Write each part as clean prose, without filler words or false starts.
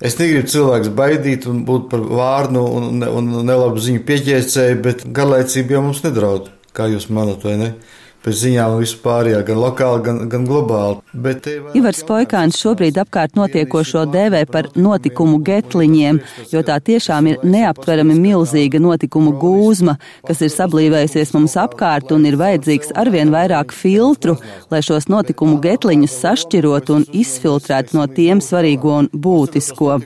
Es negribu cilvēks baidīt un būt par vārnu un nelabu ziņu pieķēcēju, bet garlaicība jau mums nedraud, kā jūs manat, vai ne? Pēc ziņām vispārējā, gan lokāli, gan globāli. Ivars Poikāns šobrīd apkārt notiekošo dēvē par notikumu getliņiem, jo tā tiešām ir neaptverami milzīga notikumu gūzma, kas ir sablīvējusies mums apkārt un ir vajadzīgs arvien vairāk filtru, lai šos notikumu getliņus sašķirot un izfiltrēt no tiem svarīgo un būtisko.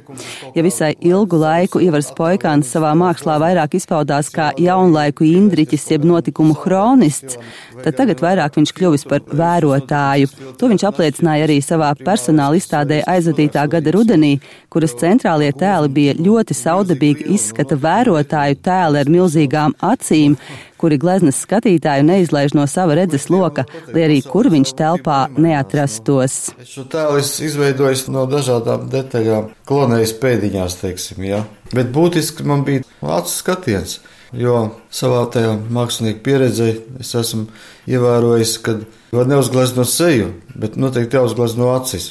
Ja visai ilgu laiku Ivars Poikāns savā mākslā vairāk izpaudās kā jaunlaiku Indriķis jeb notikumu hronists, tad tagad vairāk viņš kļuvis par vērotāju. To viņš apliecināja arī savā personāla izstādē aizvadītā gada rudenī, kuras centrālie tēli bija ļoti saudabīgi izskata vērotāju tēli ar milzīgām acīm, kuri gleznas skatītāju neizlaiž no sava redzes loka, lai arī kur viņš telpā neatrastos. Šo tēlu es izveidoju no dažādām detaļām, klonējas pēdiņās, teiksim, jā. Bet būtiski man bija acu skatiens. Jo savā tajā mākslinieku pieredzē es esmu ievērojis, ka var neuzgleznot seju, bet noteikti jāuzglezno acis.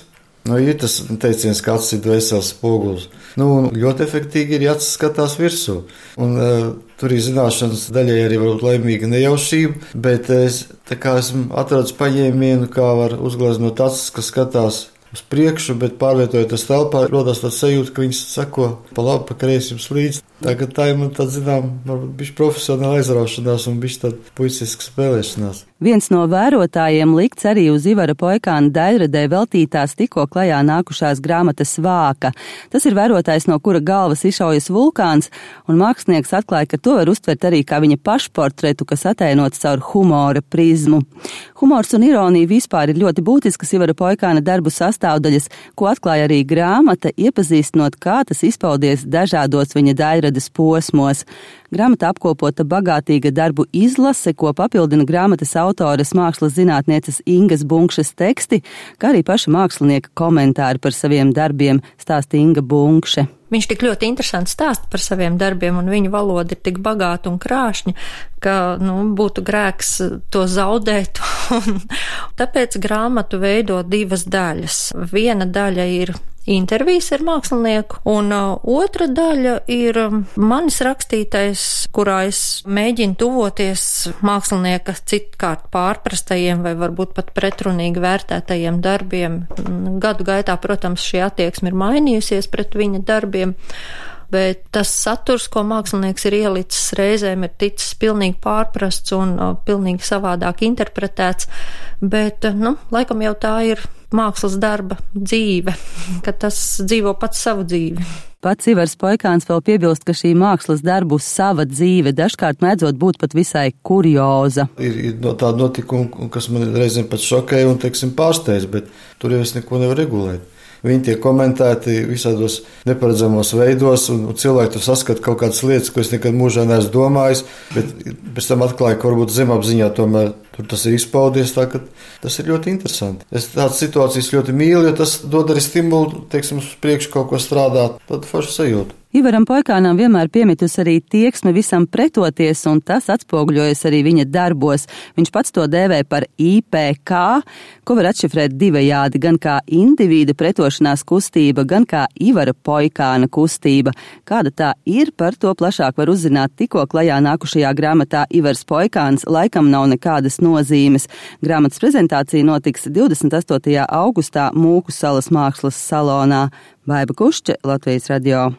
Ir tas teiciens, ka acis ir dvēseles spogulis. Ļoti efektīgi ir, ja acis skatās virsū. Tur ir zināšanas daļai arī varbūt laimīga nejaušība, bet es esmu atradis paņēmienu, kā var uzgleznot acis, kas skatās uz priekšu, bet pārvietojoties telpā, rodas tāds sajūta, ka viņas sako pa labi, pa kreisi jums līdzi. Tagad tā ir man tāda, zinām, varbūt bišķi profesionāla aizraušanās un bišķi tāda puiciska spēlēšanās. Viens no vērotājiem likts arī uz Ivara Poikāna daļradē veltītās tikko klajā nākušās grāmatas Vāka. Tas ir vērotājs, no kura galvas izšaujas vulkāns, un mākslinieks atklāja, ka to var uztvert arī kā viņa pašportretu, kas atainots caur humora prizmu. Humors un ironija vispār ir ļoti būtiskas Ivara Poikāna darbu sastāvdaļas, ko atklāja arī grāmata, iepazīstinot, kā tas izpaudies dažādos viņa daļrades posmos. Grāmata apkopota bagātīga darbu izlase, ko papildina grāmatas autores mākslas zinātnieces Ingas Bunkšas teksti, kā arī paša mākslinieka komentāri par saviem darbiem, stāsta Inga Bunkše. Viņš tik ļoti interesanti stāsta par saviem darbiem, un viņa valoda ir tik bagāta un krāšņa, ka būtu grēks to zaudēt. Tāpēc grāmatu veido divas daļas. Viena daļa ir intervijas ar mākslinieku, un otra daļa ir manis rakstītais, kurā es mēģinu tuvoties mākslinieka citkārt pārprastajiem vai varbūt pat pretrunīgi vērtētajiem darbiem. Gadu gaitā, protams, šī attieksme ir mainījusies pret viņa darbiem, bet tas saturs, ko mākslinieks ir ielicis, reizēm ir ticis pilnīgi pārprasts un pilnīgi savādāk interpretēts, bet, laikam jau tā ir mākslas darba dzīve, ka tas dzīvo pats savu dzīvi. Pats Ivars Poikāns vēl piebilst, ka šī mākslas darbu sava dzīve dažkārt mēdzot būt pat visai kurioza. Ir tāda notikuma, kas man reizēm pat šokēja un, pārsteidz, bet tur jau es neko nevaru regulēt. Viņi tiek komentēti visādos neparedzamos veidos, un cilvēki tur saskata kaut kādas lietas, ko es nekad mūžā neesmu domājis, bet pēc tam atklāju, ka varbūt zemapziņā tomēr tur tas ir izpaudies, tā ka tas ir ļoti interesanti. Es tādas situācijas ļoti mīlu, jo tas dod arī stimulu, uz priekšu kaut ko strādāt, tad foršu sajūtu. Ivaram Poikānam vienmēr piemitus arī tieksme visam pretoties, un tas atspoguļojas arī viņa darbos. Viņš pats to dēvē par IPK, ko var atšifrēt divējādi, gan kā individa pretošanās kustība, gan kā Ivara Poikāna kustība. Kāda tā ir, par to plašāk var uzzināt tikko klajā nākušajā grāmatā Ivars Poikāns laikam nav nekādas nozīmes. Grāmatas prezentācija notiks 28. augustā Mūku salas mākslas salonā. Baiba Kušče, Latvijas radio.